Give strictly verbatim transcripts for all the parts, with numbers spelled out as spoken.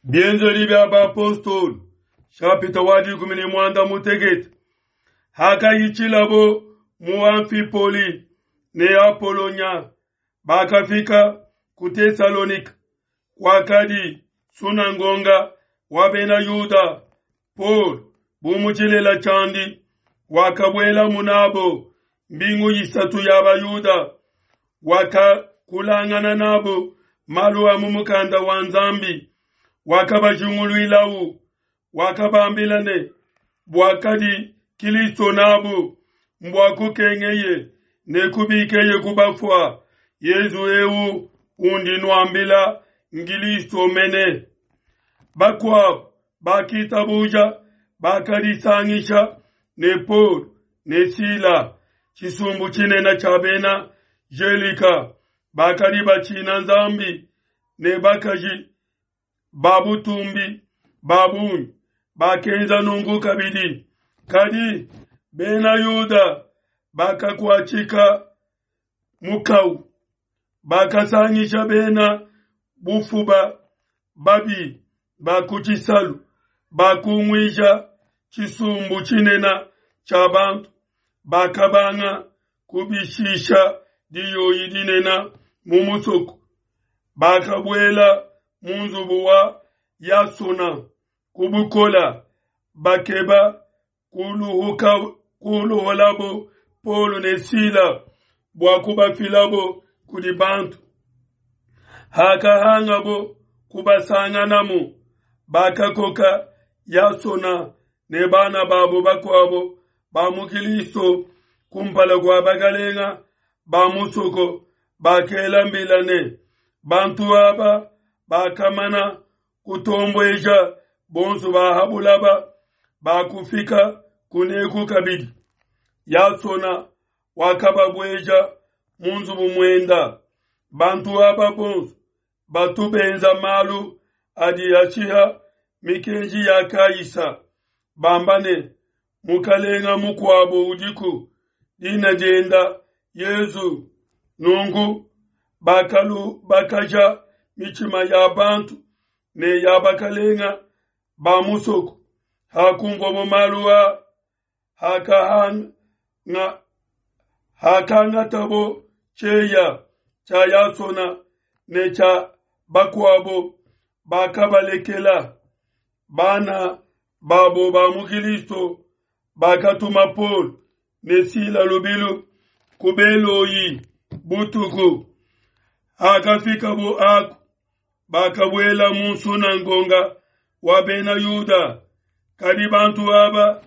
Bienzedi bia Bapostolo, nshapita wa dikumi ne muanda mutekete. Hakahitshilabo mu Amfipoli ne Apolonya, bakafika ku Tesalonike, kwakadi sunangonga wa Bena Yuda. Paulo, bu mu tshilela tshiandi, wakabuelamu nabo mbingu isatu ya Bayuda, wakakulangana nabo malu a mu mukanda wa Nzambi, wakabajinguluilawu, wakabambila ne buakadi Kilisto nabu mbua kukengeye ne kubikeye ku bafua. Yezu eu undi nuambila ngilisto mene. Bakuabu bakitabuja bakadisangisha ne Paul ne Sila, tshisumbu tshinene tshia bena Gelika bakadi batshina Nzambi ne bakaji ba butumbi ba bungi bakenza nunku kabidi. Kadi bena Yuda bakakuatshika mukau, bakasangisha bena bufuba babi ba ku tshisalu, bakunguija tshisumbu tshinene tshia bantu, bakabanga kubishisha diyoyi dinene mu musoko. Bakabuela mu nzubu wa Yasona ku bukola, bakeba kuluhuka kuluholabo Paulo ne Sila bua kubafilabo kudi bantu. Hakahangabo kubasanganamu, bakakoka Yasona ne bana babo bakuabo ba mu Kilisto kumpala kua bakalenga ba musoko, bakela mbila ne bantu aba bakamana kutombueja bonso ba ha bulaba, bakufika kuneku kabidi. Yasona wakababueja mu nzubu muenda. Bantu aba bonso batu benza malu adi ashiha mikenji ya Kaisa, bamba ne mukalenga mukuabo udiku, dina dienda Yezu. Nunku bakalu bakaja mitshima ya bantu ne ya bakalenga ba musoko. Hakumvwabo malu a hakahanga hakangatabo tshieya tshia Yasona ne tshia bakuabo, bakabalekela. Bana babo ba mu Kilisto bakatuma Paul ne Sila lubilu ku Beloyi butuku. Hakafikabo aku, bakabuela mu nsunangonga wa Bena Yuda. Kadi bantu aba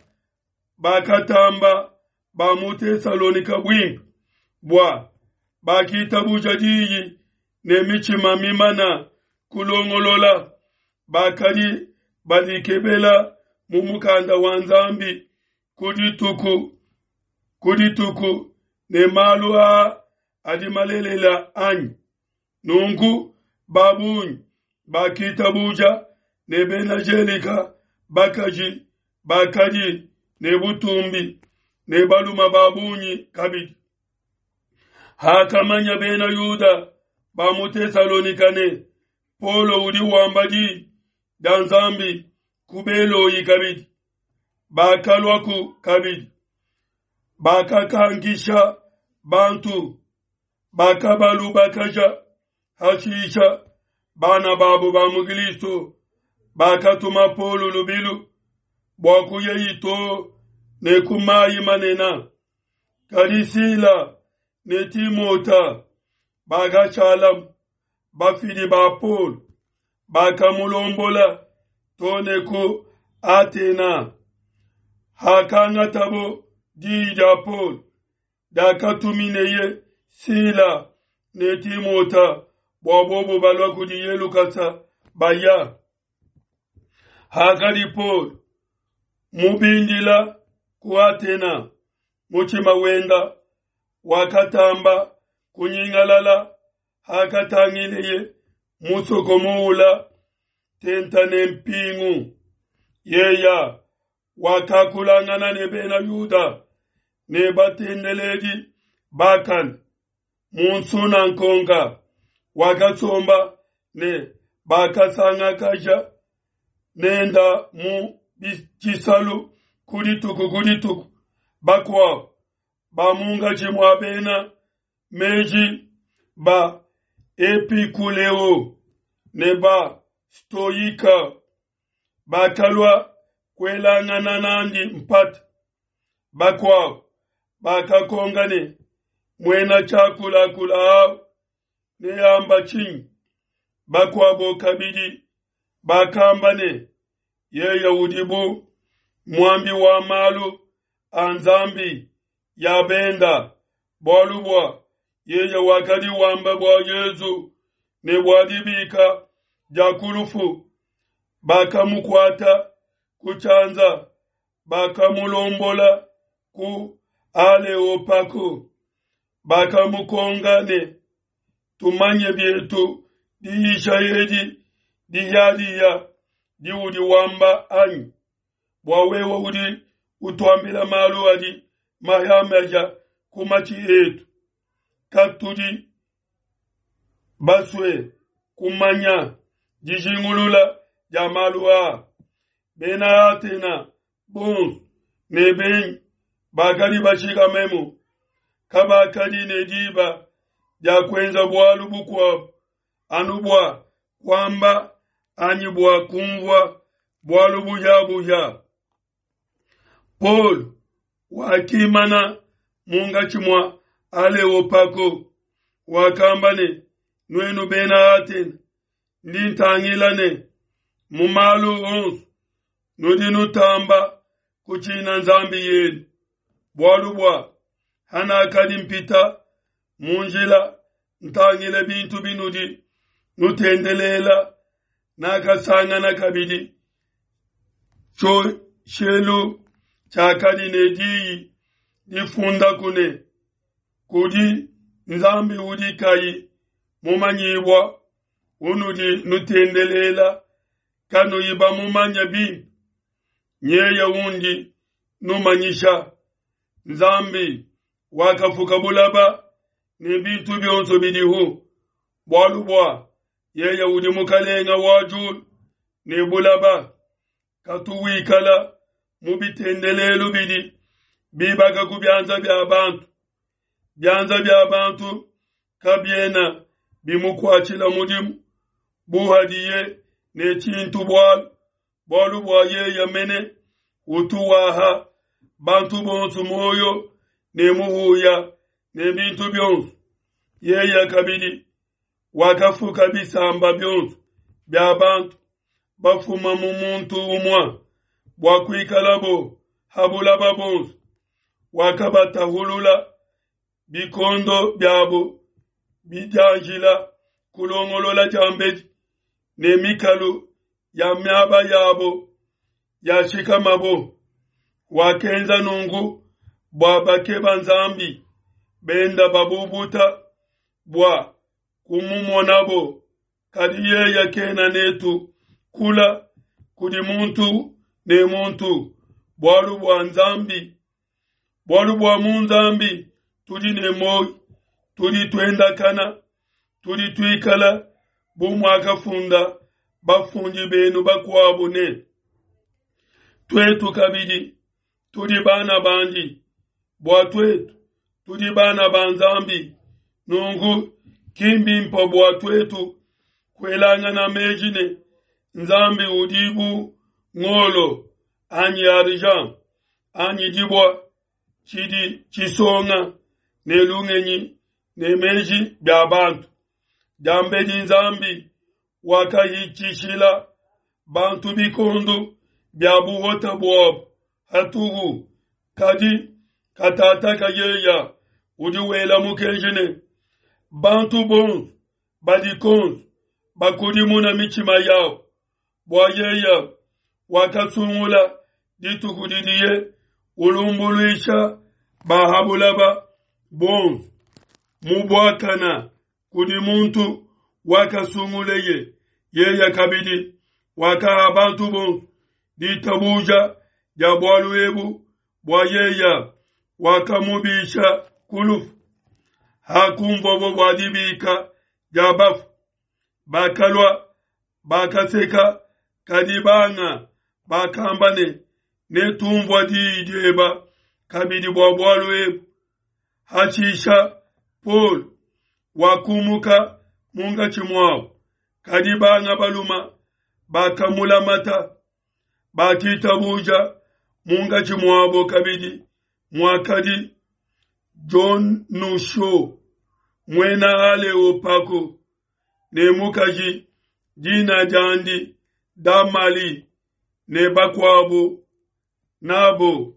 bakatamba ba mu Tesalonika buimpe bua bakitabuja diyi ne mitshima mimana kulongolola, bakadi badikebela mu mukanda wa Nzambi ku dituku ku dituku ne malu aa adi malelela anyi. Nunku babungi bakitabuja ne bena Gelika bakaji bakadi ne butumbi ne baluma babungi kabidi. Hakamanya bena Yuda ba mu Tesalonika ne Paulo udi wamba diyi dia Nzambi ku Beloyi kabidi, bakaluaku kabidi, bakakankisha bantu, bakabalubakaja. Hashisha bana babo ba mu Kilisto bakatuma Paulo lubilu bua kuya too ne ku mayi manene. Kadi Sila ne Timota bakashala bafidi ba Paulo, bakamulombola too ne ku Atena. Hakangatabo diyi dia Paulo diakatumineye Sila ne Timota bua bobo balua kudiye lukasa baya. Hakadi Paulo mubindila ku Atena, mutshima wenda wakatamba kunyingalala hakatangileye musoko muula tenta ne mpingu. Yeya wakakulangana ne bena Yuda ne batendeledi bakane mu nsunankonga, wakasomba ne bakasangakaja nenda mu tshisalu ku dituku ku dituku. Bakuabo ba munkatshi mua bena meji ba Epikuleo ne ba Stoika bakalua kuelangana nandi mpata. Bakuabo bakakonka ne, muena tshiakulakula awu neamba tshinyi? Bakuabo kabidi bakamba ne, yeye udi bu muambi wa malu a Nzambi ya benda, bualu bua yeye wakadi wamba bua Yezu ne bua dibika dia ku lufu. Bakamukuata ku tshianza, bakamulombola ku Aleopago, bakamukonka ne, tumanye bietu diyisha edi dihiadiha diudi wamba anyi? Bua wewe udi utuambila malu adi mahiamahia ku matshi etu, katudi basue kumanya dijingulula dia malu aa. Bena Atena bonso ne benyi bakadi bashikamemu kabakadi ne diba dia kuenza bualu bukuabu anu bua kuamba anyi bua kumvua bualu buhiabuhia. Paul wakimana munkatshi mua Aleopago, wakamba ne, nuenu bena Atena, ndi ntangila ne mu malu onso nudi nutamba kutshina Nzambi yenu, bualu bua hanakadi mpita mu njila ntangile bintu binudi nutendelela, nakasangana kabidi tshioshelu tshiakadi ne diyi difundaku ne, kudi Nzambi udi kayi mumanyibua, unudi nutendelela kanuyi bamumanye bimpe. Nyeye undi numanyisha. Nzambi wakafuka bulaba ne bintu bionso bidihu, bualu bua yeye udi mukalenga wa diulu ne bulaba, katu wikala mu bitendelelu bidi bibaka ku bianza bia bantu. Bianza bia bantu kabiena bimukuatshila mudimu bu hadiye ne tshintu bualu, bualu bua yeye mene utu waha bantu bonso muoyo ne muhuya ne bintu bionso. Yeye kabidi wakafuka bisamba bionso bia bantu bafuma mu muntu umue bua kuikalabo ha bulaba bonso. Wakabatahulula bikondo biabo bidianjila kulongolola diambedi ne mikalu ya miaba yabo yashikamabo. Wakenza nunku bua bakeba Nzambi benda babubuta bua kumumonabo, kadi yeye kena netu kula kudi muntu ne muntu, bualu bua Nzambi, bualu bua mu Nzambi tudi ne muoyo, tudi tuendakana, tudi tuikala bu muakafunda bafundi benu bakuabo ne, tuetu kabidi tudi bana bandi, bua tuetu tudi bana ba Nzambi. Nunku ki mbimpe bua tuetu kuelangana meji ne Nzambi udi bu ngolo anyi argent anyi dibua tshidi tshisonga ne lungenyi ne meji bia bantu. Diambedi Nzambi wakahitshishila bantu bikondo bia buhota buabo hatuhu, kadi katataka yeya udi wela mukenji ne bantu bonso badi konso bakudimuna mitshima yabo, bua yeya wakasungula dituku didiye ulumbuluisha bahabulaba bonso mu buakana kudi muntu wakasunguleye. Yeya kabidi wakaha bantu bonso ditabuja dia bualu ebu, bua yeya wakamubisha ku lufu. Hakumvwabo bua dibika dia bafu, bakalua bakaseka Kadi banga bakamba ne, Netunvua diyi dieba kabidi bua bualu ebu. Hatshisha Paulo wakumuka munkatshi muabo, kadi banga baluma bakamulamata, bakitabuja munkatshi muabo kabidi muakadi Dionusio muena Aleopago ne mukaji dina diandi Damali ne bakuabo nabo.